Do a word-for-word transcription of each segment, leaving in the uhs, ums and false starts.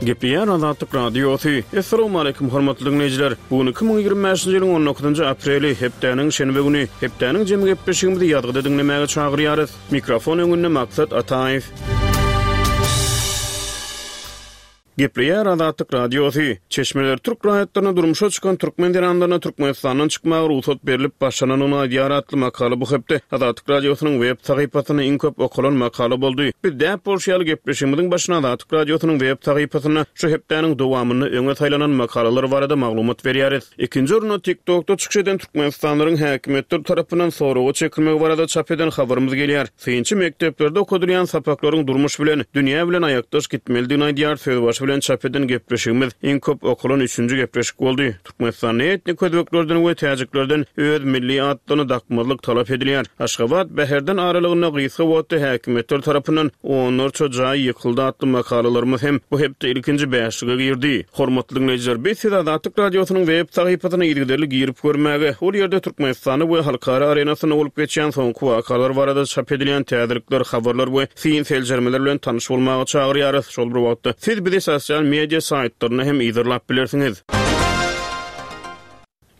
Gepleýär Azatlyk Radiosy. Assalamu hormatly diňleýjiler. Bu gün iki müň ýigrimi bäşinji ýylyň on dokuzynjy apreli, hepdäniň şenbe güni. Hepdäniň jemi gepleşigimizi ýazgyda diňlemäge çagyrýarys. Mikrofon öňünde Maksat Ataýew. Gepleýär Azatlyk Radiosy. Çeşmeler türk raýatlaryna durmuşa çykan türkmen zenanlaryna Türkmenistandan çykmaga rugsat berlip başlananyny aýdýar atly makala bu hepde Azatlyk Radiosynyň web sahypasynda iň köp okalan makala boldy. Biz däp bolşy ýaly gepleşigimiziň başyna Azatlyk Radiosynyň web sahypasynda şu hepdäniň dowamynda öňe saýlanan makalalar barada maglumat berýäris. Ikinji orunda TikTokda çykyş eden Türkmenistanlaryň häkimiýetler tarapyndan soraga çekilmegi barada çap eden habarymyz gelýär. Synçy mekdeplerde okadylýan sapaklaryň durmuş bilen, dünýä bilen aýakdaş gitmelidigini aýdýar. Söz başy bilen çap eden gepleşigimiz iň köp okalan üçünji gepleşik boldy. Türkmenistanda etnik özbeklerden we täjiklerden öz milli atlaryny dakmazlyk talap edilýär. Aşgabat Bäherden aralygynda gysga wagtda häkimiýetler tarapyndan onlarça jaý ýykyldy atly makalalarymyz hem bu hepde ilkinji bäşlige girdi. Hormatly dinleýjiler, biz siz Azatlyk Radiosynyň web sahypasyna yzygiderli girip görmäge, ol ýerde Türkmenistanda we halkara arenasynda bolup geçýän soňky wakalar barada çap edilýän täzelikler, habarlar we syn seljermeler bilen tanyş bolmaga çagyrýarys. Şol bir wagtda siz bizi sosyal media saýtlarynda hem yzarlap bilersiňiz.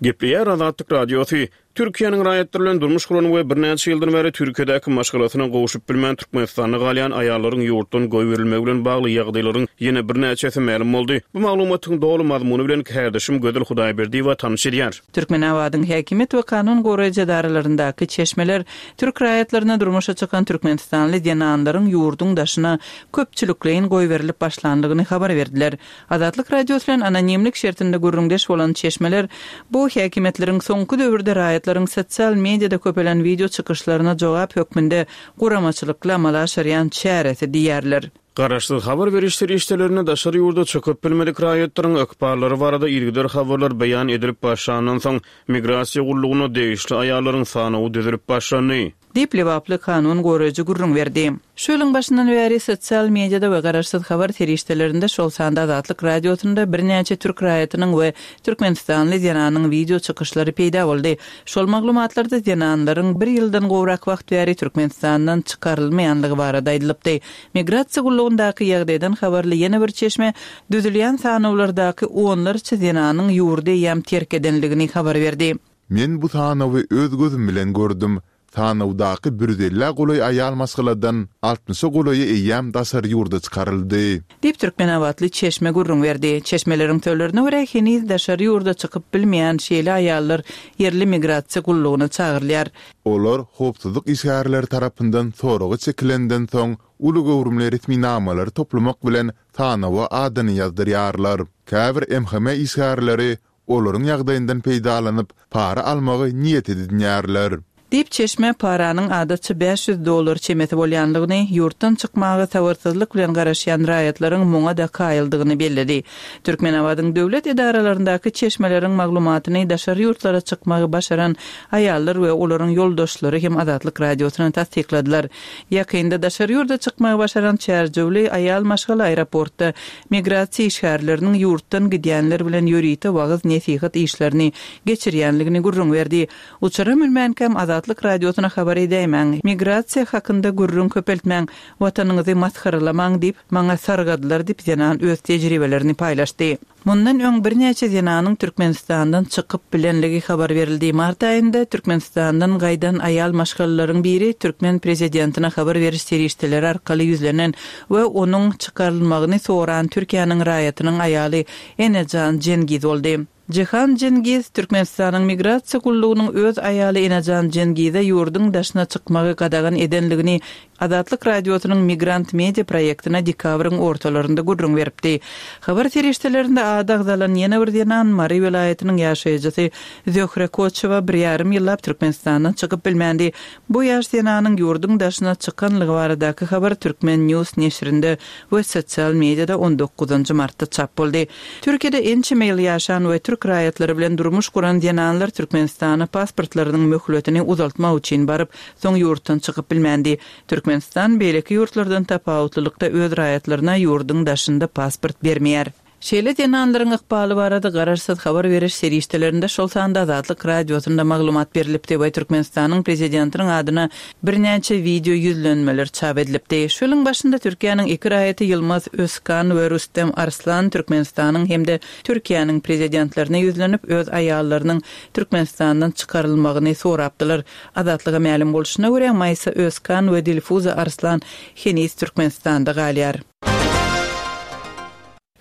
Gepleýär Azatlyk Radiosy. Türkiýäniň raýatlary bilen durmuş guran we birnäçe ýyldan bäri Türkiýedäki maşgalasyna gowşup bilmän Türkmenistanda galýan aýallaryň ýurtdan goýberilmegi bilen bagly ýagdaýlaryň ýene birnäçesi mälim boldy. Bu maglumatyň doly mazmuny bilen kärdeşim Gözel Hudaýberdiýewa tanyş edýär. Türkmenabadyň häkimiýet we kanun goraýjy edaralaryndaky çeşmeler türk raýatlaryna durmuşa çykan Türkmenistanly zenanlaryň ýurduň daşyna köpçülikleýin goýberilip başlandygyny habar berdiler. Azatlyk Radiosy bilen anonimlik şertinde gürrüňdeş bolan çeşmeler bu häkimiýetleriň soňky döwürde raýatlaryň sosial mediada köpelen video çykyşlaryna jogap hökmünde guramaçylykly amala aşyrýan çäresi diýerler. Garaşsyz habar beriş serişdelerine daşary ýurda çykyp bilmedik raýatlaryň ykballary barada ilgidar habarlar beýan edilip başlandan soň migrasiýa gullugyna degişli aýallaryň sanawy düzülip başlandy. Diýip Lebaply kanun goraýjy gürrüň berdi. Şu ýylyň başyndan bäri sosial mediada we garaşsyz habar serişdelerinde şol sanda Azatlyk Radiosynda birnäçe türk raýatynyň we Türkmenistanly zenanyň video çykyşlary peýda boldy. Şol maglumatlarda zenanlaryň bir ýyldan gowrak wagt bäri Türkmenistandan çykarylmaýanlygy barada aýdylypdy. Migrasiýa gullugyndaky ýagdaýdan habarly ýene bir çeşme düzülýän sanawlardaky onlarça zenanyň ýurdy eýýäm terk edenligini habar berdi. Men bu sanawy öz gözüm bilen gördüm. Sanawdaky bir ýüz elli golaý aýal maşgaladan altmyşa golaýy eýýäm daşary ýurda çykaryldy. Diýip Türkmenabatly çeşme gürrüň berdi. Çeşmeleriň sözlerine görä heniz daşary ýurda çykyp bilmeýän şeýle aýallar ýerli migrasiýa gullugyna çagyrylýar. Olar howpsuzlyk işgärleri tarapyndan soraga çekilenden soň uly göwrümli resminamalary toplamak bilen sanawa adyny ýazdyrýarlar. Käbir M H M işgärleri olaryň ýagdaýyndan peýdalanyp para almagy niýet edinýärler. Diýip çeşme paranyň adatça bäş ýüz dollar çemesi bolýanlygyny, ýurtdan çykmaga sabyrsyzlyk bilen garaşýan raýatlaryň muňa da kaýyldygyny belledi. Türkmenabadyň döwlet edaralaryndaky çeşmeleriň maglumatyny daşary ýurtlara çykmagy başaran aýallar we olaryň ýoldaşlary hem Azatlyk Radiosyna tassykladylar. Ýakynda daşary ýurda çykmagy başaran Çärjewli aýal maşgala aeroportda migrasiýa işgärleriniň ýurtdan gidýänler bilen ýörite wagyz nesihat işlerini geçirýänligini gürrüň berdi. Uçara münmänkäm Azatlyk Radiosyna habar edäýmäň, migrasiýa hakynda gürrüň köpeltmäň, watanyňyzy masgaralamaň diýip maňa sargadylar diýip zenan öz tejribelerini paýlaşdy. Mundan öň birnäçe zenanyň Türkmenistandan çykyp bilenligi habar berildi. Mart aýynda Türkmenistandan gaýdan aýal maşgalalaryň biri Türkmen prezidentine habar beriş serişdeleri arkaly ýüzlenen we onuň çykarylmagyny soran Türkiýäniň raýatynyň aýaly Enejan Cengiz boldy. Cihan Cengiz Türkmenistanyň migrasiýa gullugynyň öz aýaly Enejan Cengize ýurduň daşyna çykmagy gadagan edenligini Azatlyk Radiosynyň Migrant Media proýektine dekabryň ortalarynda gürrüň beripdi. Habar serişdelerinde ady agzalan ýene bir zenan Mary welaýatynyň ýaşaýjysy Zöhre Koçewa bir ýarym ýyllap Türkmenistandan çykyp bilmändi. Bu ýaş zenanyň ýurduň daşyna çykanlygy baradaky habar Türkmen News neşirinde we sosial mediada on dokuzynjy martda çap boldy. Türkiýede ençeme ýyl ýaşan we türk raýatlary bilen durmuş guran zenanlar Türkmenistana pasportlarynyň möhletini uzaltmak üçin baryp, soň ýurtdan çykyp bilmändi. Türkmenistan beýleki ýurtlardan tapawutlylykda öz raýatlaryna ýurduň daşynda pasport bermeýär. Şeýle zenanlaryň ykbaly barada garaşsyz habar beriş serişdelerinde, şol sanda Azatlyk Radiosynda maglumat berlipdi we Türkmenistanyň prezidentiniň adyna birnäçe wideo ýüzlenmeler çap edilipdi. Şu ýylyň başynda Türkiýäniň iki raýaty Ýylmaz Özkan we Rüstem Arslan Türkmenistanyň hem-de Türkiýäniň prezidentlerine ýüzlenip, öz aýallarynyň Türkmenistandan çykarylmagyny sorapdylar. Azatlyga mälim bolşuna görä, Maýsa Özkan we Dilfuza Arslan heniz Türkmenistanda galýar.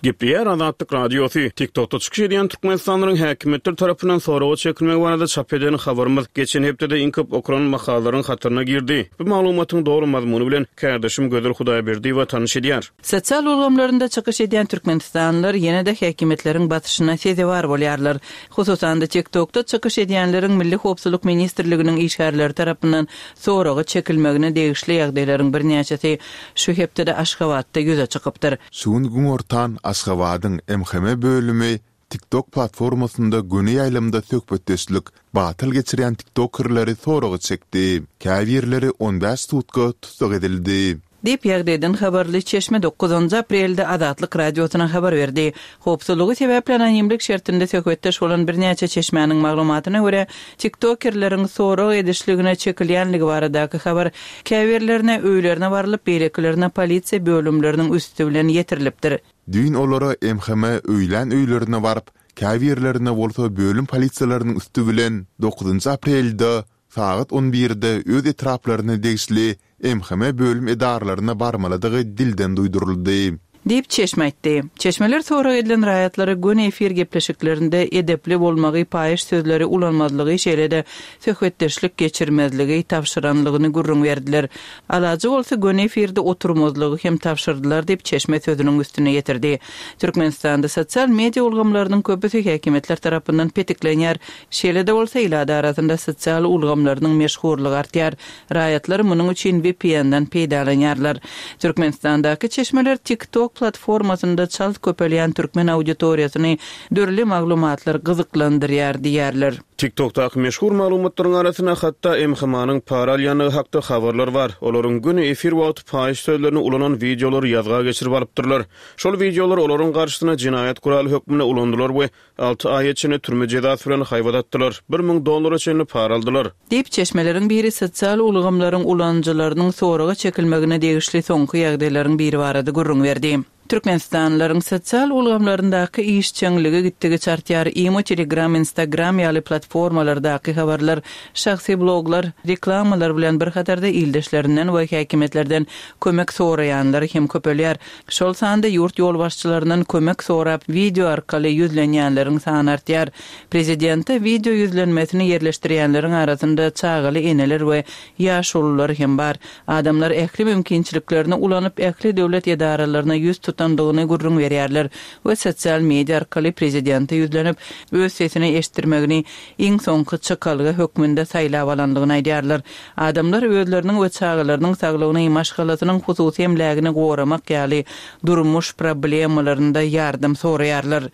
Gepleýär Azatlyk Radiosy. TikTokda çykyş edýän türkmenistanlylaryň häkimiýetler tarapyndan soraga çekilmegi barada çap eden habarymyz geçen hepdede iň köp okalan makalalaryň hataryna girdi. Bu maglumatyň doly mazmuny bilen kärdeşim Gözel Hudaýberdiýewa tanyş edýär. Sosial ulgamlarynda çykyş edýän türkmenistanlylar ýene-de häkimiýetleriň basyşyna sezewar bolýarlar. Hususan-da TikTokda çykyş edýänleriň Milli howpsuzlyk ministrliginiň işgärleri tarapyndan soraga çekilmegine degişli ýagdaýlaryň birnäçesi şu hepdede Aşgabatda ýüze çykypdyr. Şu gün günortan Aşgabadyň M H M bölümi TikTok platformasynda göni ýaýlymda söhbetdeşlik batyl geçirýän tiktokerleri soraga çekdi. Käbirleri on bäş sutka tussag edildi. Diýip ýagdaýdan habarly çeşme dokuzynjy aprelde Azatlyk Radiosyna habar berdi. Howpsuzlygy sebäpli anonimlik şertinde söhbetdeş bolan birnäçe çeşmäniň maglumatyna görä, tiktokerleriň sorag edişligine çekilýänligi baradaky habar käbirlerine öýlerine barylyp, beýlekilerine polisiýa bölümleriniň üsti bilen ýetirilipdir. Düýn olara M H M öýlän öýlerine baryp, käbirlerine bolsa bölüm polisiýalarynyň üsti bilen dokuzynjy aprelde sagat on birde öz etraplaryna degişli M H M bölüm edaralaryna barmalydygy dilden duýduryldy. Diýip çeşme aýtdy. Çeşmeler sorag edilen raýatlara göni efir gepleşiklerinde edepli bolmagy, paýyş sözleri ulanmazlygy, şeýle-de söhbetdeşlik geçirmezligi tabşyranlygyny gürrüň berdiler. Alajy bolsa göni efirde oturmazlygy hem tabşyrdylar diýip çeşme sözüniň üstüne ýetirdi. Türkmenistanda sosial media ulgamlarynyň köpüsi häkimiýetler tarapyndan petiklenýär. Şeýle-de bolsa ilat arasynda sosial ulgamlarynyň meşhurlygy artýar. Raýatlar munuň üçin V P N-den peýdalanýarlar. Türkmenistandaky çeşmeler TikTok platformasynda çalt köpelýän türkmen auditoriýasyny dürli maglumatlar gyzyklandyrýar diýerler. TikTokdaky meşhur maglumatlaryň arasynda hatda M H M-nyň para alýandygy hakda habarlar bar. Olaryň göni efir wagty paýyş sözlerini ulanan wideolary ýazga geçirip alypdyrlar. Şol wideolar olaryň garşysyna jenaýat guraly hökmünde ulandylar we alty aýa çenli türme jezasy bilen haýbat atdylar. bir müň dollara çenli para aldylar. Diýip çeşmeleriň biri sosial ulgamlaryň ulanyjylarynyň soraga çekilmegine degişli soňky ýagdaýlaryň biri barada gürrüň berdi. Türkmenistanlylaryň sosial ulgamlaryndaky işjeňligi gitdigiçe artýar. Imo, Telegram, Instagram ýaly platformalardaky habarlar, şahsy bloglar, reklamalar bilen bir hatarda ildeşlerinden we häkimiýetlerden kömek soraýanlar hem köpelýär. Şol sanda ýurt ýolbaşçylaryndan kömek sorap wideo arkaly ýüzlenýänleriň sany artýar. Prezidente wideo ýüzlenmesini ýerleşdirýänleriň arasynda çagaly eneler we ýaşulular hem bar. Adamlar ähli mümkinçiliklerini ulanyp, ähli döwlet edaralaryna ýüz tutandygyny gürrüň berýärler we sosial media arkaly prezidente ýüzlenip, öz sesini eşitdirmegini iň soňky çykalga hökmünde saýlap alandygyny aýdýarlar. Adamlar özleriniň we çagalarynyň saglygyny, maşgalasynyň hususy emlägini goramak ýaly durmuş problemalarynda ýardam soraýarlar.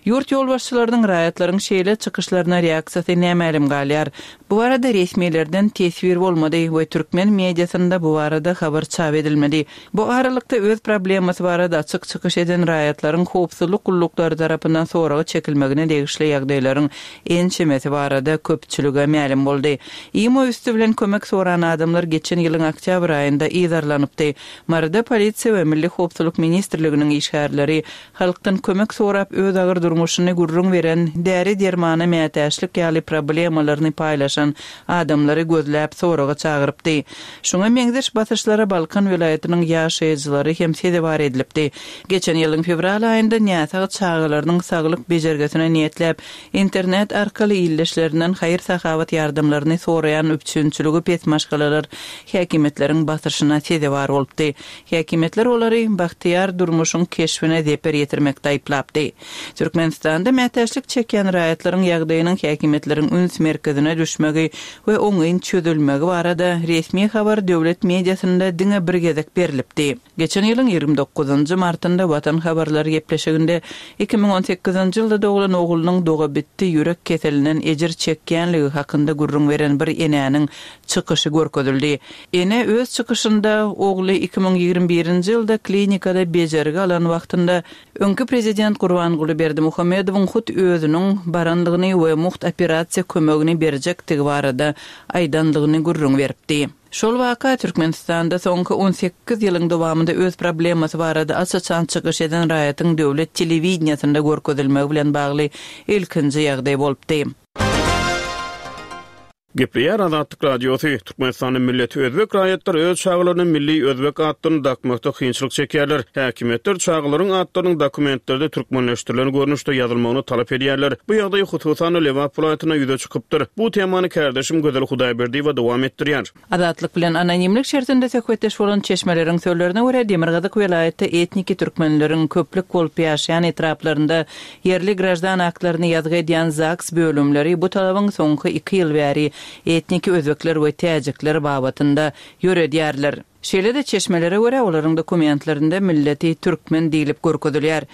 Ýurt ýolbaşçylarynyň raýatlaryň şeýle çykyşlaryna reaksiýasy nämälim galýar. Bu barada resmilerden teswir bolmady we türkmen mediasynda bu barada habar çap edilmedi. Bu aralykda öz problemasy barada açyk çykyş eden raýatlaryň howpsuzlyk gulluklary tarapyndan soraga çekilmegine degişli ýagdaýlaryň ençemesi barada köpçülige mälim boldy. Imo üstü bilen kömek soran adamlar geçen ýylyň oktýabr aýynda yzarlanypdy. Maryda polisiýa we Milli howpsuzlyk ministrliginiň işgärleri halkdan kömek sorap öz agyr durmuşyny gürrüň beren, däri dermana mätäçlik ýaly problemalaryny paýlaşan adamlary gözläp soraga çagyrypdy. Şuňa meňzeş basyşlara Balkan welaýatynyň ýaşaýjylary hem sezewar edilipdi. Geçen ýylyň fewral aýynda näsag çagalarynyň saglyk bejergisine niýetläp, internet arkaly ildeşlerinden haýyr-sahawat ýardamlaryny soraýan üpjünçiligi pes maşgalalar häkimiýetleriň basyşyna sezewar bolupdy. Häkimiýetler olary bagtyýar durmuşyň keşbine zeper ýetirmekde aýyplapdy. Türkmenistanda mätäçlik çekýän raýatlaryň ýagdaýynyň häkimiýetleriň üns merkezine düşmegi we oňyn çözülmegi barada resmi habar döwlet mediasynda diňe bir gezek berilipdi. Geçen ýylyň ýigrimi dokuzynjy martynda martynda Watan habarlary gepleşiginde iki müň on sekizinji ýylda doglan oglunyň dogabitdi ýürek keselinden ejir çekýänligi hakynda gürrüň beren bir enäniň çykyşy görkezildi. Ene öz çykyşynda ogly iki müň ýigrimi birinji ýylda klinikada bejergi alan wagtynda öňki prezident Gurbanguly Berdimuhamedowyň hut özüniň baranlygyny we mugt operasiýa kömegini berjekdigi barada aýdanlygyny gürrüň beripdi. Şol waka Türkmenistanda soňky on sekiz ýylyň dowamynda öz problemasy barada aç-açan çykyş eden raýatyň döwlet telewideniýasynda görkezilmegi bilen bagly ilkinji ýagdaý bolupdy. Gepleýär Azatlyk Radiosy. Türkmenistanyň milleti özbek raýatlary öz çagalaryna milli özbek atlaryny dakmakda kynçylyk çekýärler. Häkimiýetler çagalaryň atlarynyň dokumentlerde türkmenleşdirilen görnüşde ýazylmagyny talap edýärler. Bu ýagdaý hususan Lebap welaýatynda ýüze çykypdyr. Bu temany kardeşim Gözel Hudaýberdiýewa dowam etdirýär. Azatlyk bilen anonimlik şertinde söhbetdeş bolan çeşmeleriň sözlerine görä Demirgazyk welaýatda etniki türkmenleriň köplük bolup ýaşaýan etraplarynda ýerli grajdan aktlaryny ýazgy edýän ZAGS bölümleri bu talabyň soňky iki ýyl bäri etniki özbekler we täjikler babatynda ýöredýärler. Şeýle-de çeşmelere görä olaryň dokumentlerinde milleti türkmen diýlip görkezilýär.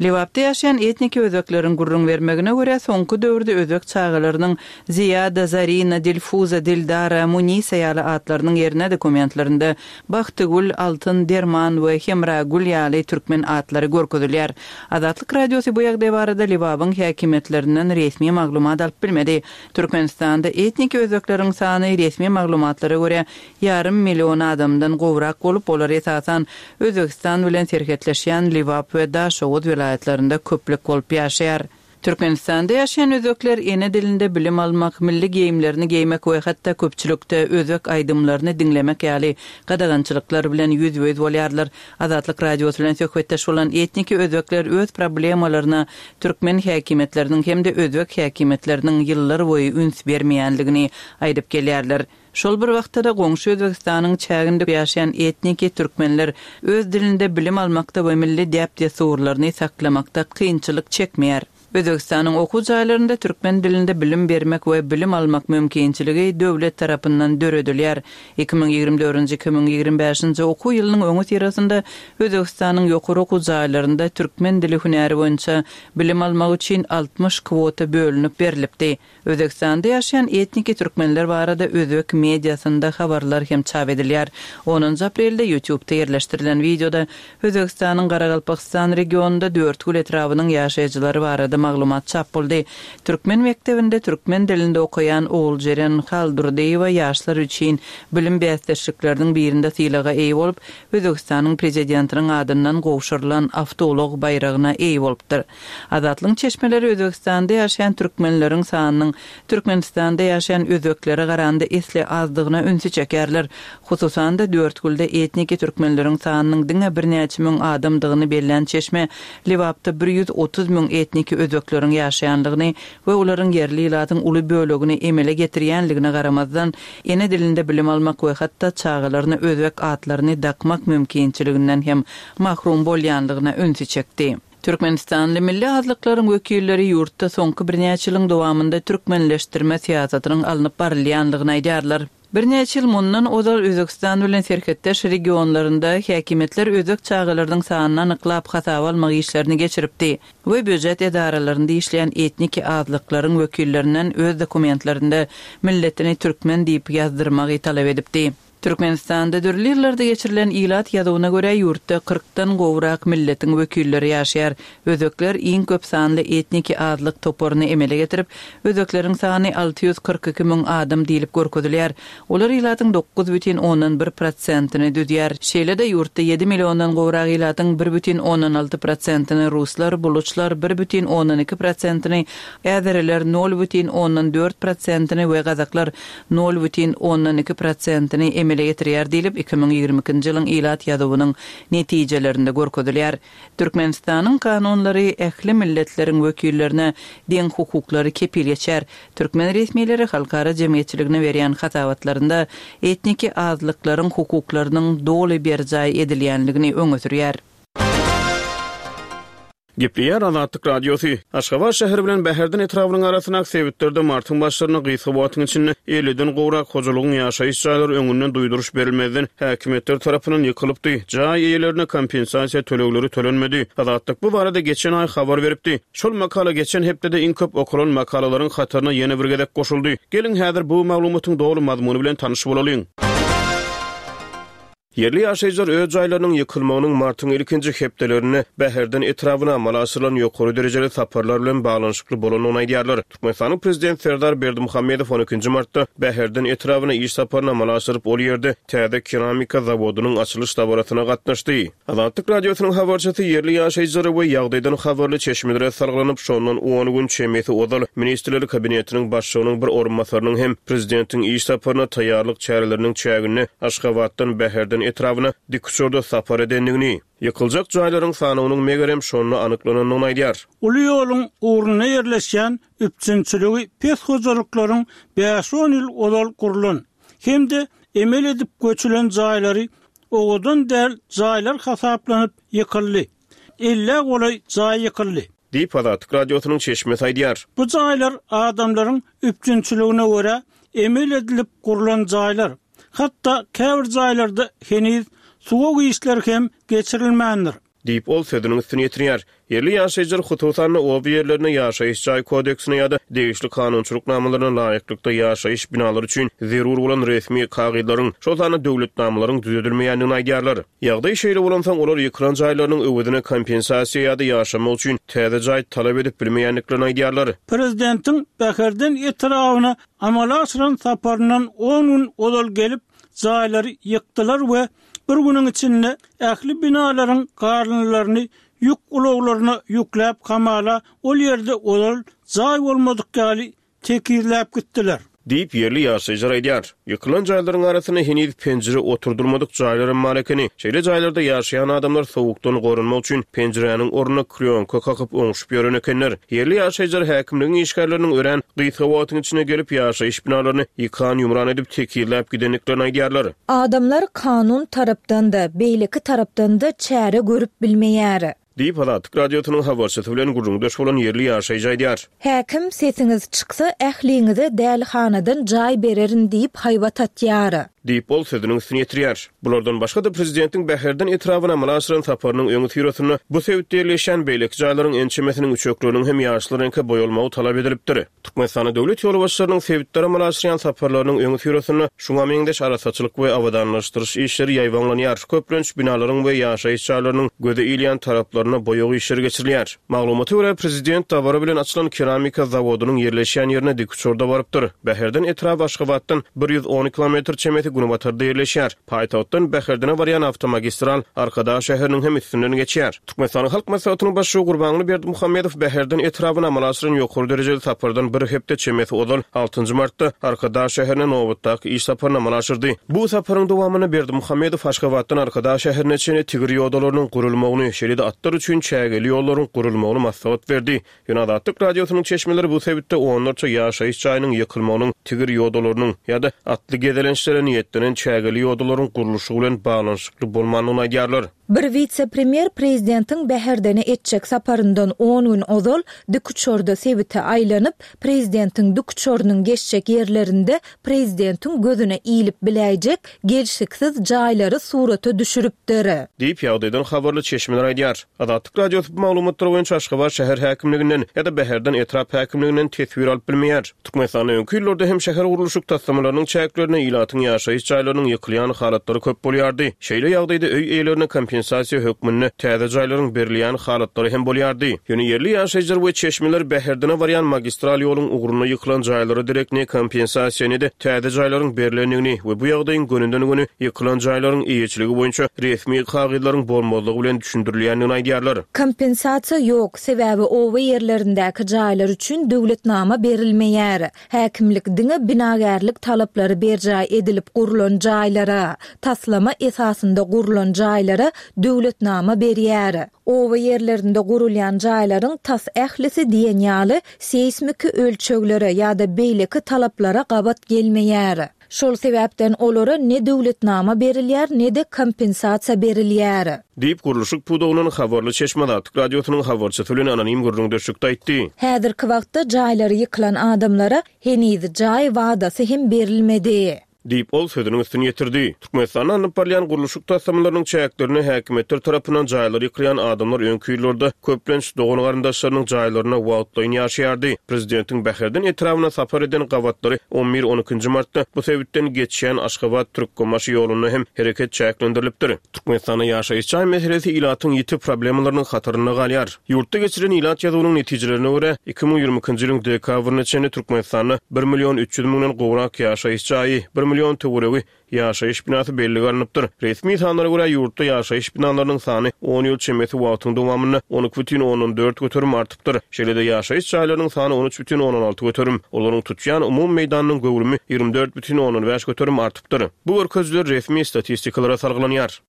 Lebapda ýaşaýan etniki özbekleriň gürrüň bermegine görä soňky döwürde özbek çagalarynyň Ziýada, Zarina, Dilfuza, Dildara, Munisa ýaly atlarynyň ýerine dokumentlerinde Bagtygül, Altyn, Derman we Hemragül ýaly türkmen atlary görkezilýär. Azatlyk Radiosy bu ýagdaý barada Lebabyň häkimiýetlerinden resmi maglumat alyp bilmedi. Türkmenistanda etniki özbekleriň sany resmi maglumatlara görä ýarym million adamdan gowrak bolup, olar esasan Özbegistan bilen serhetleşýän Lebap we Daşoguz welaýatlarynda köplük bolup ýaşaýar. Türkmenistanda ýaşaýan özbekler ene dilinde bilim almak, milli geýimlerini geýmek we hatda köpçülikde özbek aýdymlaryny diňlemek ýaly gadagançylyklar bilen ýüzbe-ýüz bolýarlar. Azatlyk Radiosy bilen söhbetdeş bolan etniki özbekler öz problemalaryna türkmen häkimiýetleriniň hem-de özbek häkimiýetleriniň ýyllar boýy üns bermeýänligini aýdyp gelýärler. Şol bir wagtda da goňşy Özbegistanyň çäginde ýaşaýan etniki türkmenler öz dilinde bilim almakda we milli däp-dessurlaryny saklamakda kynçylyk çekmeýär. Özbegistanyň okuw jaýlarynda türkmen dilinde bilim bermek we bilim almak mümkinçiligi döwlet tarapyndan döredilýär. iki müň ýigrimi dördünji, iki müň ýigrimi bäşinji okuw ýylynyň öňi syrasynda Özbegistanyň ýokary okuw jaýlarynda türkmen dili hünäri boýunça bilim almak üçin altmyş kwota bölünip berilipdi. Özbegistanda ýaşaýan etniki türkmenler barada özbek mediasynda habarlar hem çap edilýär. Onunjy aprelde YouTube'da ýerleşdirilen wideoda Özbegistanyň Garagalpakistan regionunda Dörtgül etrabynyň ýaşaýjylary barada maglumat çap boldy. Türkmen mekdebinde türkmen dilinde okaýan Oguljeren Haldurdyýewa ýaşlar üçin bilim bäsdeşlikleriniň birinde sylaga eýe bolup, Özbegistanyň prezidentiniň adyndan gowşurylan awtoulag baýragyna eýe bolupdyr. Azatlygyň çeşmeleri Özbegistanda ýaşaýan türkmenleriň sanynyň Türkmenistanda ýaşaýan özbeklere garanda esli azdygyna ünsi çekerler. Hususan-da Dörtgülde etniki türkmenleriň sanynyň diňe birnäçe müň adamdygyny bellän çeşme Lebapda bir ýüz otuz müň etniki özbekleriň ýaşaýanlygyny we olaryň ýerli ilatyň uly bölegini emele getirýänligine garamazdan ene dilinde bilim almak we hatda çagalaryna özbek atlaryny dakmak mümkinçiliginden hem mahrum bolýanlygyna ünsi çekdi. Türkmenistanly milli azlyklaryň wekilleri ýurtda soňky birnäçe ýylyň dowamynda türkmenleşdirme syýasatynyň alnyp barylýanlygyny aýdýarlar. Birnäçe ýyl mundan ozal Özbegistan bilen serhetdeş regionlarynda häkimiýetler özbek çagalarynyň sanyny anyklap hasaba almak işlerini geçiripdi we býujet edaralarynda işleýän etniki azlyklaryň wekillerinden öz dokumentlerinde milletini türkmen diýip ýazdyrmagy talap edipdi. Türkmenistanda dürli ýyllarda geçirilen ilat ýazuwyna görä ýurtda kyrkdan gowrak milletiň wekilleri ýaşaýar. Özbekler iň köp sanly etniki azlyk toparyny emele getirip, özbekleriň sany alty ýüz kyrk iki müň adam diýlip görkezilýär. Olar ilatyň dokuz bütin ondan bir prosentini düzýär. Şeýle-de ýurtda ýedi milliondan gowrak ilatyň bir bütin ondan alty prosentini ruslar, buluçlar bir bütin ondan iki prosentini, äzeriler nol bütin ondan dört prosentini we gazaklar nol bütin ondan iki prosentini emele getirýär diýlip iki müň ýigrimi ikinji ýylyň ilat ýazuwynyň netijelerinde görkezilýär. Türkmenistanyň kanunlary ähli milletleriň wekillerine deň hukuklary kepil geçer. Türkmen resmileri halkara jemgyýetçiligine berýän hasabatlarynda etniki azlyklaryň hukuklarynyň doly berjaý edilýänligini öňe sürýär. Gepleýär Azatlyk Radiosy. Aşgabat şäheri bilen Bäherden etrabynyň arasyndaky sebitlerde martyň başlarynda gysga wagtyň içinde elliden gowrak hojalygyň ýaşaýyş jaýlary öňünden duýduryş berilmezden häkimiýetler tarapyndan ýykylypdy. Jaý eýelerine kompensasiýa tölegleri tölenmedi. Azatlyk bu barada geçen aý habar beripdi. Şol makala geçen hepdede iň köp okalan makalalaryň hataryna ýene bir gezek goşuldy. Geliň häzir bu maglumatyň doly mazmuny bilen tanyş bolalyň. Ýerli ýaşaýjylar öz jaýlarynyň ýykylmagynyň martyň ilkinji hepdelerinde Bäherden etrabyna amala aşyrylan ýokary derejeli saparlar bilen baglanyşykly bolandygyny aýdýarlar. Türkmenistanyň Prezidenti Serdar Berdimuhamedow on ikinji martda Bäherden etrabyna iş saparyny amala aşyryp, ol ýerde täze keramika zawodynyň açylyş dabarasyna gatnaşdy. Azatlyk Radiosynyň habarçysy ýerli ýaşaýjylara we ýagdaýdan habarly çeşmelere salgylanyp, şondan on gün çemesi ozal Ministrler Kabinetiniň Başlygynyň bir orunbasarynyň hem prezidentiň iş saparyna taýýarlyk çäreleriniň çäginde Aşgabatdan Bäherden etrabyna dikuçarda sapar edendigini, ýykyljak jaýlaryň sanynyň megerem şonda anyklanandygyny aýdýar. Uly ýoluň ugrunda ýerleşýän üpjünçiligi pes hojalyklaryň bäş-on ýyl ozal gurlan hem-de emel edip göçülen jaýlary owadan däl jaýlar hasaplanyp ýykyldy. Ellä golaý jaý ýykyldy. Diýip, Azatlyk Radiosynyň çeşmesi aýdýar. Bu jaýlar adamlaryň üpjünçiligine görä emel edilip gurlan jaýlar. Hatda käbir jaýlarda heniz suwag işleri hem geçirilmändir. Diýip, ol sözüniň üstüni ýetirýär. Ýerli ýaşaýjylar, hususan-da, oba ýerlerinde ýaşaýyş jaý kodeksine ýa-da degişli kanunçylyk namalaryna laýyklykda ýaşaýyş binalary üçin zerur bolan resmi kagyzlaryň, şol sanda döwletnamalaryň düzedilmeýändigini aýdýarlar. Ýagdaý şeýle bolansoň, olar ýykylan jaýlarynyň öwezine kompensasiýa ýa-da ýaşamak üçin täze jaý talap edip bilmeýändiklerini aýdýarlar. Prezidentiň Bäherden etrabyna amala aşyran saparyndan on gün ozal gelip, jaýlary ýykdylar we bir günüň içinde ähli binalaryň garynlaryny ýük ulaglaryna ýükläp hamala ol ýerde ozal jaý bolmadyk ýaly tekizläp gitdiler. Diýip, ýerli ýaşaýjylar aýdýar. Ýykylan jaýlaryň arasynda heniz penjire oturdylmadyk jaýlar hem bar ekeni. Şeýle jaýlarda ýaşaýan adamlar sowukdan goranmak üçin penjiräniň ornuna klýonka kakyp oňşup ýören ekenler. Ýerli ýaşaýjylar häkimligiň işgärleriniň örän gysga wagtyň içinde gelip ýaşaýyş binalaryny ýykan-ýumran edip tekizläp gidendiklerini aýdýarlar. Adamlar kanun tarapdan-da, beýleki tarapdan-da çäre görüp bilmeýär. Diýip, Azatlyk Radiosynyň habarçysy bilen gürrüňdeş bolan ýerli ýaşaýjy aýdýar. Häkim sesiňiz çyksa ähliňize dälihanadan jaý bererin diýip haýbat atýar. Diýip, ol sözüniň üstüni ýetirýär. Bulardan başga-da prezidentiň Bäherden etrabyna amala aşyran saparynyň öňüsyrasynda bu sebitde ýerleşýän beýleki jaýlaryň ençemesiniň üçekleriniň hem ýaşyl reňke boýalmagy talap edilipdir. Türkmenistanda döwlet ýolbaşçylarynyň sebitlere amala aşyrýan saparlarynyň öňüsyrasynda şuňa meňzeş arassaçylyk we abadanlaşdyryş işleri ýaýbaňlanýar. Köplenç binalaryň we ýaşaýyş jaýlarynyň göze ilýän taraplaryna boýag işleri geçirilýär. Maglumata görä, prezident dabara bilen açylan keramika zawodynyň ýerleşýän ýerine dikuçarda barypdyr. Bäherden etraby Aşgabatdan bir ýüz on kilometr çemesi günbatarda ýerleşýär. Paýtagtdan Bäherdene barýan awtomagistral Arkadag şäheriniň hem üstünden geçýär. Türkmenistanyň Halk Maslahatynyň başlygy Gurbanguly Berdimuhamedow Bäherden etrabyna amala aşyran ýokary derejeli sapardan bir hepde çemesi ozal altynjy martda Arkadag şäherine nobatdaky iş saparyny amala aşyrdy. Bu saparyň dowamynda Berdimuhamedow Aşgabatdan Arkadag şäherine çenli tigir ýodalarynyň gurulmagyny, şeýle-de atlar üçin çägeli ýollaryň gurulmagyny maslahat berdi. Ýöne Azatlyk Radiosynyň çeşmeleri bu sebitde onlarça ýaşaýyş jaýynyň ýykylmagynyň, tigir ýodalarynyň ýa-da atly gezelençlere niýetlenen çägeli ýodalaryň gurluşy bilen baglanyşykly bolmandygyny aýdýarlar. Bir wise-premýer prezidentiň Bäherdene etjek saparyndan on gün ozal dikuçarda sebite aýlanyp, prezidentiň dikuçarynyň geçjek ýerlerinde prezidentiň gözüne ilip biläýjek gelşiksiz jaýlary surata düşüripdir. Diýip, ýagdaýdan habarly çeşmeler aýdýar. Azatlyk Radiosy bu maglumatlar boýunça Aşgabat şäher häkimliginden ýa-da Bäherden etrap häkimliginden teswir alyp bilmeýär. Türkmenistanda öňki ýyllarda hem şäher gurluşyk taslamalarynyň çäklerinde ilatyň ýaşaýyş jaýlarynyň ýykylýan halatlary köp bolýardy. Şeýle ýagdaýda öý eýelerine kompensasiýa hökmünde täze jaýlaryň berilýän halatlary hem bolýardy. Ýöne ýerli ýaşaýjylar we çeşmeler Bäherdene barýan magistral ýoluň ugrunda ýykylan jaýlara derek ne kompensasiýa ne-de täze jaýlaryň berlendigini we bu ýagdaýyň gönüden-göni ýykylan jaýlaryň eýeçiligi boýunça resmi kagyzlaryň bolmazlygy bilen düşündirilýändigini aýdýarlar. Kompensasiýa ýok, sebäbi oba ýerlerindäki jaýlar üçin döwletnama berilmeýär. Häkimlik diňe binagärlik talaplary berjaý edilip gurlan jaýlara, taslama esasynda gurlan jaýlara döwletnama berýär. Oba ýerlerinde gurulýan jaýlaryň tas ählisi diýen ýaly seýsmiki ölçeglere ýa-da beýleki talaplara gabat gelmeýär. Şol sebäpden olara ne döwletnama berilýär, ne-de kompensasiýa berilýär. Diýip, gurluşyk pudagyndan habarly çeşme Azatlyk Radiosynyň habarçysy bilen anonim gürrüňdeşlikde aýtdy. Häzirki wagtda jaýlary ýykylan adamlara heniz jaý wadasy hem berilmedi. Diýip, ol sözüniň üstüni ýetirdi. Türkmenistanda alnyp barylýan gurluşyk taslamalarynyň çäklerinde häkimiýetler tarapyndan jaýlary ýykylýan adamlar öňki ýyllarda köplenç dogan-garyndaşlarynyň jaýlarynda wagtlaýyn ýaşaýardy. Prezidentiň Bäherden etrabyna sapar eden gabatlary on bir-on ikinji martda bu sebitden geçýän Aşgabat-Türkmenbaşy ýolunda hem hereket çäklendirilipdir. Türkmenistanda ýaşaýyş jaý meselesi ilatyň ýiti problemalarynyň hatarynda galýar. Ýurtda geçirilen ilat ýazuwynyň netijelerine görä, iki müň ýigrimi ikinji ýylyň dekabryna çenli Türkmenistanda bir million üç ýüz müňden gowrak ýaşaýyş jaýy, bir million töweregi ýaşaýyş binasy bellige alnypdyr. Resmi sanlara görä, ýurtda ýaşaýyş binalarynyň sany on ýyl çemesi wagtyň dowamynda on iki bütin ondan dört göterim artypdyr. Şeýle-de ýaşaýyş jaýlarynyň sany on üç bütin ondan alty göterim, olaryň tutýan umumy meýdanynyň göwrümi ýigrimi dört bütin ondan bäş göterim artypdyr. Bu görkezijiler resmi statistikalara salgylanýar.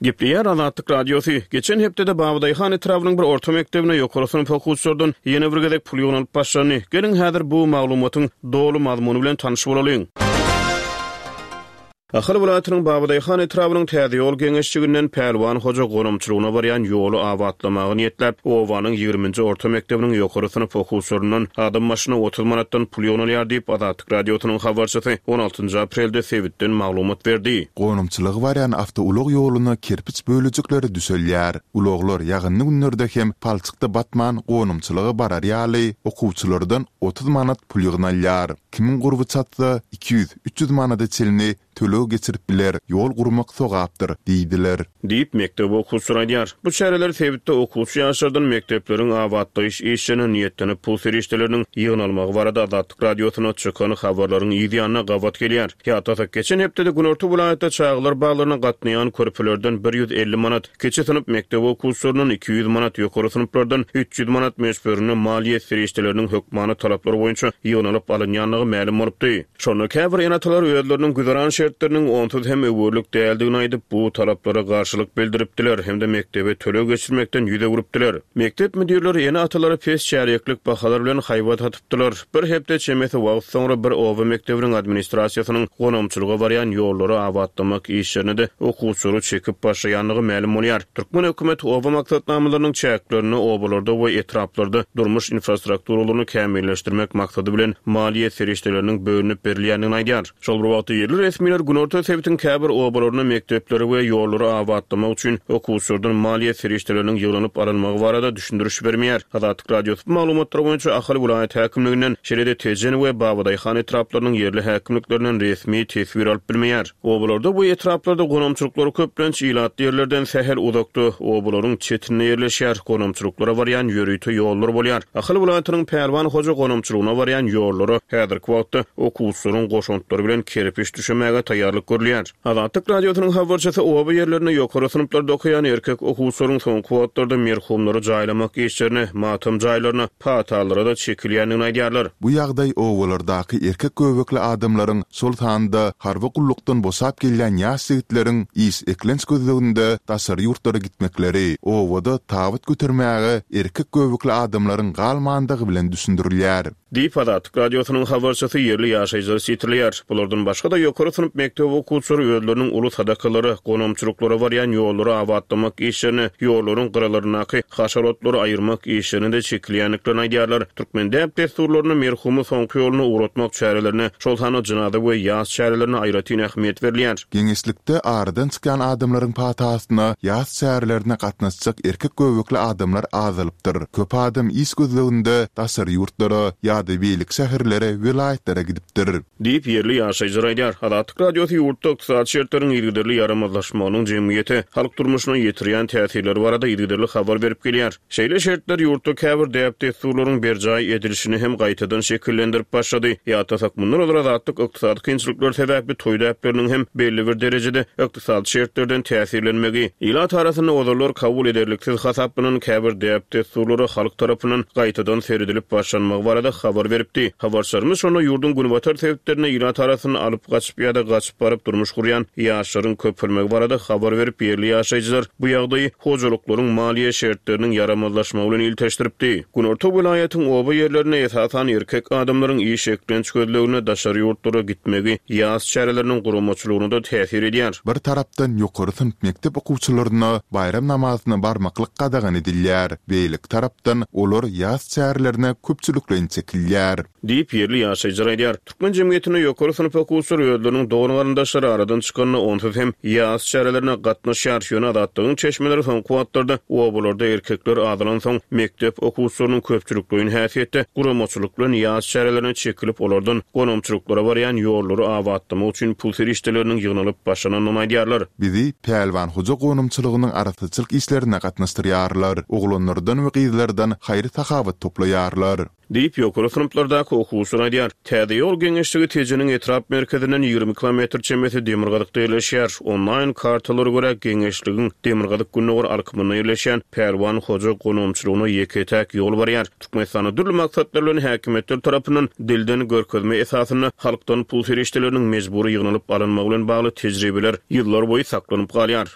Gepleýär Azatlyk Radiosy. Geçen hepdede Babadaýhan etrabynyň bir orta mekdebine ýokary synp okuwçylardan ýene bir gezek pul ýygnalyp başlandy. Geliň häzir bu maglumatyň doly mazmuny bilen tanyş bolalyň. Ahal welaýatynyň Babadaýhan etrabynyň Täze ýol geňeşçiginden Pälwan hoja gonamçylygyna barýan ýoly abatlamagy niýetläp, obanyň ýigriminji orta mekdebiniň ýokary synp okuwçylaryndan adam başyna otuz manatdan pul ýygnalýar diýip, Azatlyk Radiosynyň habarçysy on altynjy aprelde sebitden maglumat berdi. Gonamçylyga barýan awtoulag ýoluna kerpiç bölejikleri düşelýär. Ulaglar ýagynly günlerde hem palçykda batman gonamçylyga barar ýaly okuwçylardan otuz manat pul ýygnalýar. Kimiň gurby çatsa, iki ýüz, üç ýüz manada çenli töleg geçirip biler, ýol gurmak sogapdyr, diýdiler. Diýip, mekdep okuwçylary aýdýar. Bu çäreler sebitde okuwçy ýaşlardan mekdepleriň abatlaýyş işlerine niýetlenip pul serişdeleriniň ýygnalmagy barada Azatlyk Radiosyna çykan habarlaryň yz ýanyna gabat gelýär. Ýatlasak, geçen hepdede Günorta welaýatda çagalar baglaryna gatnaýan körpelerden bir ýüz elli manat, kiçi synp mekdep okuwçylaryndan iki ýüz manat, ýokary synplardan üç ýüz manat möçberinde maliýe serişdeleriniň hökmany talaplar boýunça ýygnalyp alynýandygy mälim bolupdy. Şonda käbir ene-atalar özleriniň güzeran şertleriniň onsuz hem öwürlik däldigini aýdyp, bu talaplara garşylyk bildiripdiler hem-de mekdebe töleg geçirmekden ýüz öwrüpdiler. Mekdep müdirleri ene-atalara pes çärýeklik bahalar bilen haýbat atypdylar. Bir hepde çemesi wagt soňra bir oba mekdebiniň administrasiýasynyň gonamçylyga barýan ýollary abatlamak işlerine-de okuwçylary çekip başlaýandygy mälim bolýar. Türkmen hökümeti oba maksatnamalarynyň çäklerinde obalarda we etraplarda durmuş infrastrukturalaryny kämilleşdirmek maksady bilen maliýe serişdeleriniň bölünip berilýändigini aýdýar. Şol bir wagtda ýerli resmiler Günorta sebitiň käbir obalaryna mekdepleri we ýollary abatlamak üçin okuwçylardan maliýe serişdeleriniň ýygnanyp alynmagy barada düşündiriş bermeýär. Azatlyk Radiosy bu maglumatlar boýunça Ahal welaýat häkimliginden, şeýle-de Tejen we Babadaýhan etraplarynyň ýerli häkimliklerinden resmi teswir alyp bilmeýär. Obalarda we etraplarda gonamçylyklar köplenç ilatly ýerlerden sähel uzakda, obalaryň çetinde ýerleşýär, gonamçylyklara barýan ýörite ýollar bolýar. Ahal welaýatynyň Pälwan hoja gonamçylygyna barýan ýollara häzirki wagtda okuwçylaryň goşantlary bilen kerpiç düşemäge taýýarlyk görülýär. Azatlyk Radiosynyň habarçysy oba ýerlerinde ýokary synplarda okaýan erkek okuwçylaryň soňky wagtlarda merhumlary jaýlamak işlerine, matam jaýlaryna, patalara-da çekilýändigini aýdýarlar. Bu ýagdaý obalardaky erkek göbekli adamlaryň, şol sanda harby gullukdan boşap gelýän ýaş ýigitleriň iş eklenç gözleginde daşary ýurtlara gitmekleri, obada tabyt götermäge erkek göbekli adamlaryň galmandygy bilen düşündirilýär. Diýip, Azatlyk Radiosynyň habarçysy ýerli ýaşaýjylary sitirleýär. Bulardan başga-da ýokary synp mekdep okuwçylary özleriniň uly sadakalara, gonamçylyklara barýan ýollary abatlamak işlerine, ýollaryň gyralaryndaky haşalotlary aýyrmak işlerine-de çekilýändiklerini aýdýarlar. Türkmen däp-dessurlaryna merhumy soňky ýoluna ugratmak çärelerine, şol sanda jynaza we ýas çärelerine aýratyn ähmiýet berilýär. Geňeşlikde aradan çykýan adamlaryň patasyna ýas çärelerine gatnaşjak erkek göbekli adamlar azalypdyr. Köp adam iş gözleginde daşary ýurtlara ýa-da beýleki şäherlere, welaýatlara gidipdir. Diýip, ýerli ýaşaýjylar aýdýar. Azatlyk Radiosy ýurtda ykdysady şertleriň yzygiderli ýaramazlaşmagynyň jemgyýete, halk durmuşyna ýetirýän täsirleri barada yzygiderli habar berip gelýär. Şeýle şertler ýurtda käbir däp-dessurlaryň berjaý edilişini hem gaýtadan şekillendirip başlady. Ýatlasak, mundan ozal Azatlyk ykdysady kynçylyklar sebäpli toý däpleriniň hem belli bir derejede ykdysady şertlerden täsirlenmegi, ilat arasynda ozallar kabul ederliksiz hasaplanan käbir däp-dessurlara halk tarapyndan gaýtadan seredilip başlanmagy barada habar habar beripdi. Habarçylarymyz şonda ýurduň günbatar sebitlerinde ilat arasynda alyp gaçyp ýa-da gaçyp baryp durmuş gurýan ýaşlaryň köpelmegi barada habar berip, ýerli ýaşaýjylar bu ýagdaýy hojalyklaryň maliýe şertleriniň ýaramazlaşmagy bilen ilteşdiripdi. Günorta welaýatyň oba ýerlerinde esasan erkek adamlaryň iş eklenç gözlegine daşary ýurtlara gitmegi ýas çäreleriniň guramaçylygyna-da täsir edýär. Bir tarapdan ýokary synp mekdep okuwçylaryna baýram namazyna barmaklyk gadagan edilýär, beýleki tarapdan olar ýas çärelerine köpçülikleýin çekilýär. Diýip, ýerli ýaşaýjylar aýdýar. Türkmen jemgyýetinde ýokary synp okuwçylary özleriniň dogan-garyndaşlary aradan çykanda onsuz hem ýas çärelerine gatnaşýar. Ýöne Azatlygyň çeşmeleri soňky wagtlarda obalarda erkekler azalansoň, mekdep okuwçylarynyň köpçülikleýin häsiýetde guramaçylyk bilen ýas çärelerine çekilip, olardan gonamçylyklara barýan ýollary abatlamak üçin pul serişdeleriniň ýygnalyp başlanandygyny aýdýarlar. Bizi Pälwan hoja gonamçylygynyň arassaçylyk işlerine gatnaşdyrýarlar, oglanlardan we gyzlardan haýyr-sahawat toplaýarlar. Diýip, ýokary synplardaky okuwçylar aýdýar. Täze ýol geňeşligi Tejeniň etrap merkezinden ýigrimi kilometr çemesi demirgazykda ýerleşýär. Onlaýn kartalara görä, geňeşligiň demirgazyk-gündogar alkymynda ýerleşýän Pälwan hoja gonamçylygyna ýeke-täk ýol barýar. Türkmenistanda dürli maksatlar bilen häkimiýetler tarapyndan dilden görkezme esasynda halkdan pul serişdeleriniň mejbury ýygnalyp alynmagy bilen bagly tejribeler ýyllar boýy saklanyp galýar.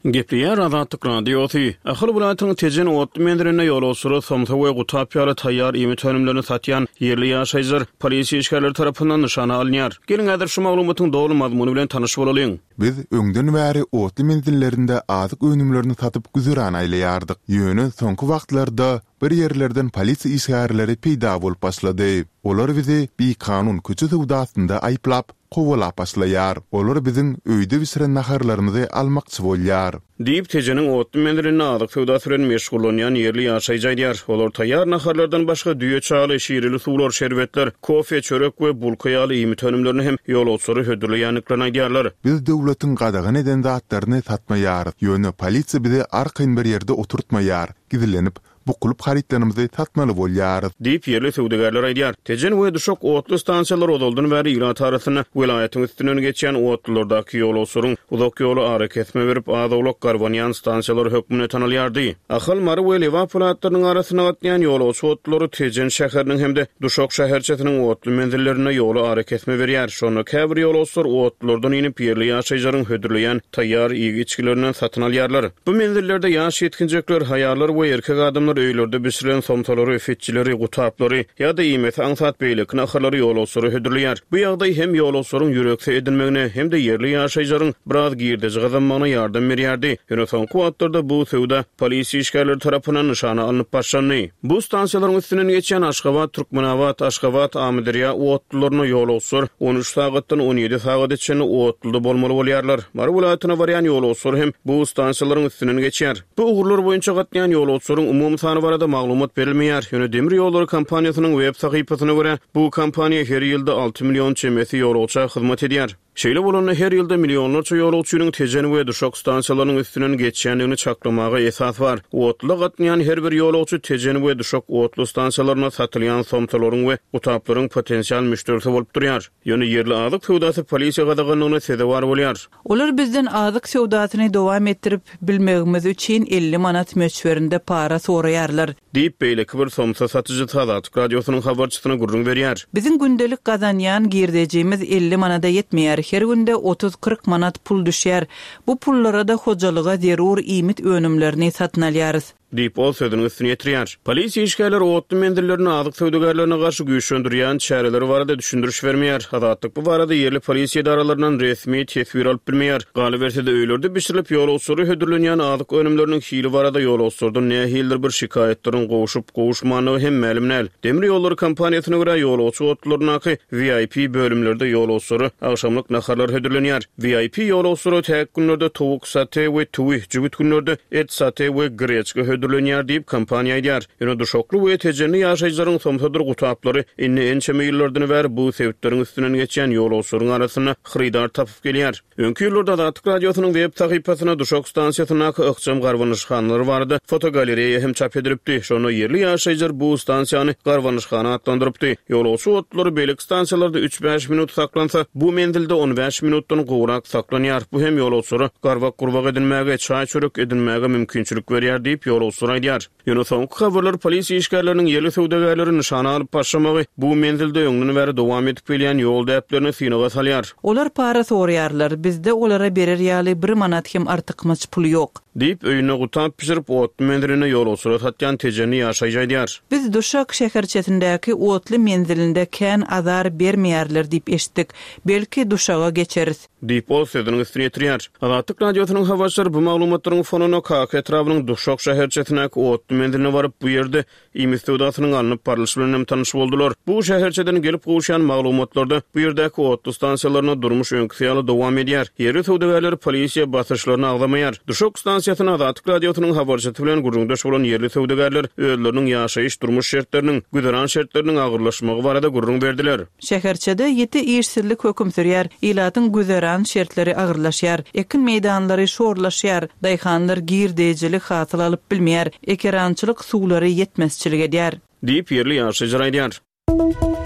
Gepleýär Azatlyk Radiosy. Ahal welaýatynyň Tejen otly menzilinde ýolagçylara somsa we gutap ýaly taýýar iýmit önümlerini satýan ýerli ýaşaýjylar polisiýa işgärleri tarapyndan nyşana alynýar. Geliň häzir şu maglumatyň doly mazmuny bilen tanyş bolalyň. Biz öňden bäri otly menzillerinde azyk önümlerini satyp güzeran aýlaýardyk. Ýöne soňky wagtlarda bir ýerlerden polisiýa işgärleri peýda bolup başlady. Olar bizi bikanun köçe söwdasynda aýyplap, kowalap başlaýar. Olar biziň öýde bişiren naharlarymyzy almakçy bolýar. Diýip, Tejeniň otly menzilinde azyk söwdasy bilen meşgullanýan ýerli ýaşaýjy aýdýar. Olar taýýar naharlardan başga düýe çaýly, şireli suwlar, şerbetler, kofe, çörek we bulka ýaly iýmit önümlerini hem ýolagçylara hödürleýändiklerini aýdýarlar. Biz döwletiň gadagan eden zatlaryny satmaýarys. Ýöne polisiýa bizi arkaýyn bir ýerde oturtmaýar, gizlenip, bukulyp harytlarymyzy satmaly bolýarys. Diýip, ýerli söwdagärler aýdýar. Tejen we Duşak otly stansiýalary ozaldan bäri ilat arasynda welaýatyň üstünden geçýän otlulardaky ýolagçylaryň uzak ýoly arakesme berip, az-owlak garbanýan stansiýalary hökmünde tanalýardy. Ahal, Mary we Lebap welaýatlarynyň arasynda gatnaýan ýolagçy otlulary Tejen şäheriniň hem-de Duşak şäherçesiniň otly menzillerinde ýola arakesme berýär. Şonda käbir ýolagçylar otlulardan inip, ýerli ýaşaýjylaryň hödürleýän taýýar iýgi-içgilerinden satyn alýarlar. Bu menzillerde ýaş ýetginjekler, haýallar we erkek adamlar öýlerde bişirilen somsalary, fitçileri, gutaplary ýa-da iýmesi aňsat beýleki naharlary ýolagçylara hödürleýär. Bu ýagdaý hem ýolagçylaryň ýürekse edinmegine, hem-de ýerli ýaşaýjylaryň biraz girdeji gazanmagyna ýardam berýärdi. Ýöne soňky wagtlarda bu söwda polisiýa işgärleri tarapyndan nyşana alnyp başlandy. Bu stansiýalaryň üstünden geçýän Aşgabat, Türkmenabat, Aşgabat, Amyderýa otlularyna ýolagçylar on üç sagatdan on ýedi sagada çenli otluda bolmaly bolýarlar. Mary welaýatyna barýan ýolagçylar hem bu stansiýalaryň üstünden geçýär. Bu ugurlar boýunça gatnaýan ýolagçylaryň umumy sany barada maglumat berilmeýär. Ýöne demir ýollary kompaniýasynyň web sahypasyna görä, bu kompaniýa her ýylda alty million çemesi ýolagça hyzmat edýär. Şeýle bolanda her ýylda millionlarça ýolagçynyň Tejen we Duşak stansiýalarynyň üstünden geçýändigini çaklamaga esas bar. Otluda gatnaýan her bir ýolagçy Tejen we Duşak otly stansiýalarynda satylýan somsalaryň we gutaplaryň potensial müşderisi bolup durýar. Ýöne ýerli azyk söwdasy polisiýa gadaganlygyna sezewar bolýar. Olar bizden azyk söwdasyny dowam etdirip bilmegimiz üçin elli manat möçberinde para soraýarlar. Diýip, beýleki bir somsa satyjysy Azatlyk Radiosynyň habarçysyna gürrüň berýär. Biziň gündelik gazanýan girdejimiz elli manada ýetmeýär. Her günde otuz-kyrk manat pul düşýär. Bu pullara-da hojalyga zerur iýmit önümlerini satyn alýarys. Diýip, ol sözüniň üstüni ýetirýär. Polisiýa işgärleri otly menzillerini azyk söwdagärlerine garşy güýçlendirýän çäreleri barada düşündiriş bermeýär. Azatlyk bu barada ýerli polisiýa edaralaryndan resmi teswir alyp bilmeýär. Galyberse-de öýlerde bişirilip ýolagçylara hödürlenýän azyk önümleriniň hili barada ýolagçylardan nähilidir bir şikaýatlaryň gowşup-gowuşmandygy hem mälim däl. Demir ýollary kompaniýasyna görä ýolagçy otlularyndaky V I P bölümlerde ýolagçylara agşamlyk naharlar hödürlenýär. V I P ýolagçylara täk günlerde towuk sate we tüwi, jübüt günlerde et sate we greçka hödürlenýär diýip kompaniýa aýdýar. Ýöne duşakly we tejenli ýaşaýjylaryň somsadyr gutaplary indi ençeme ýyllardan bäri bu sebitleriň üstünden geçýän ýolagçylaryň arasynda hyrydar tapyp gelýär. Öňki ýyllarda Azatlyk Radiosynyň web sahypasyna Duşak stansiýasyndaky ykjam garbanyşhanalar barada fotogalereýa hem çap edilipdi. Şonda ýerli ýaşaýjylar bu stansiýany garbanyşhana atlandyrypdy. Ýolagçy otlulary beýleki stansiýalarda üç-bäş minut saklansa, bu menzilde on bäş minutdan gowrak saklanýar. Bu hem ýolagçylara garbak gurbak edinmäge, çaý çörek edinmäge mümkinçilik berýär diýip, ýolagçylar ýolagçylar aýdýar. Ýöne soňky habarlar polisiýa işgärleriniň ýerli söwdagärleri nyşana alyp başlamagy bu menzilde öňden bäri dowam edip gelýän ýol däplerini synaga salýar. Olar para soraýarlar, bizde olara berer ýaly bir manat hem artykmaç pul ýok. Diýip, öýünde gutap bişirip, otly menzilinde ýolagçylara satýan tejenli ýaşaýjy aýdýar. Biz Duşak şäherçesindäki otly menzilinde kän azar bermeýärler diýip eşitdik. Belki Duşaga geçeris. Diýip, ol sözüniň üstüni ýetirýär. Azatlyk Radiosynyň habarçylary bu maglumatlaryň fonunda Kaka etrabynyň Duşak şäherçesindäki otly menziline baryp, bu ýerde iýmit söwdasynyň alnyp barlyşy bilen hem tanyş boldular. Bu şäherçeden gelip gowuşýan maglumatlarda bu ýerdäki otly stansiýalarynda durmuş öňküsi ýaly dowam edýär. Ýerli söwdagärler polisiýa basyşlaryny agzamaýar. Duşak stansiýasyna Azatlyk Radiosynyň habarçysy bilen gürrüňdeş bolan ýerli söwdagärler özleriniň ýaşaýyş-durmuş şertleriniň, güzeran şertleriniň agyrlaşmagy barada gürrüň berdiler. Şäherçede ýiti işsizlik höküm sürýär, ilatyň güzeran şertleri agyrlaşýar, ekin meýdanlary şorlaşýar, daýhanlar girdejili hasyl alyp bilmeýär, ekerançylyk suwlary ýetmezçilik edýär. Diýip, ýerli ýaşaýjylar aýdýar.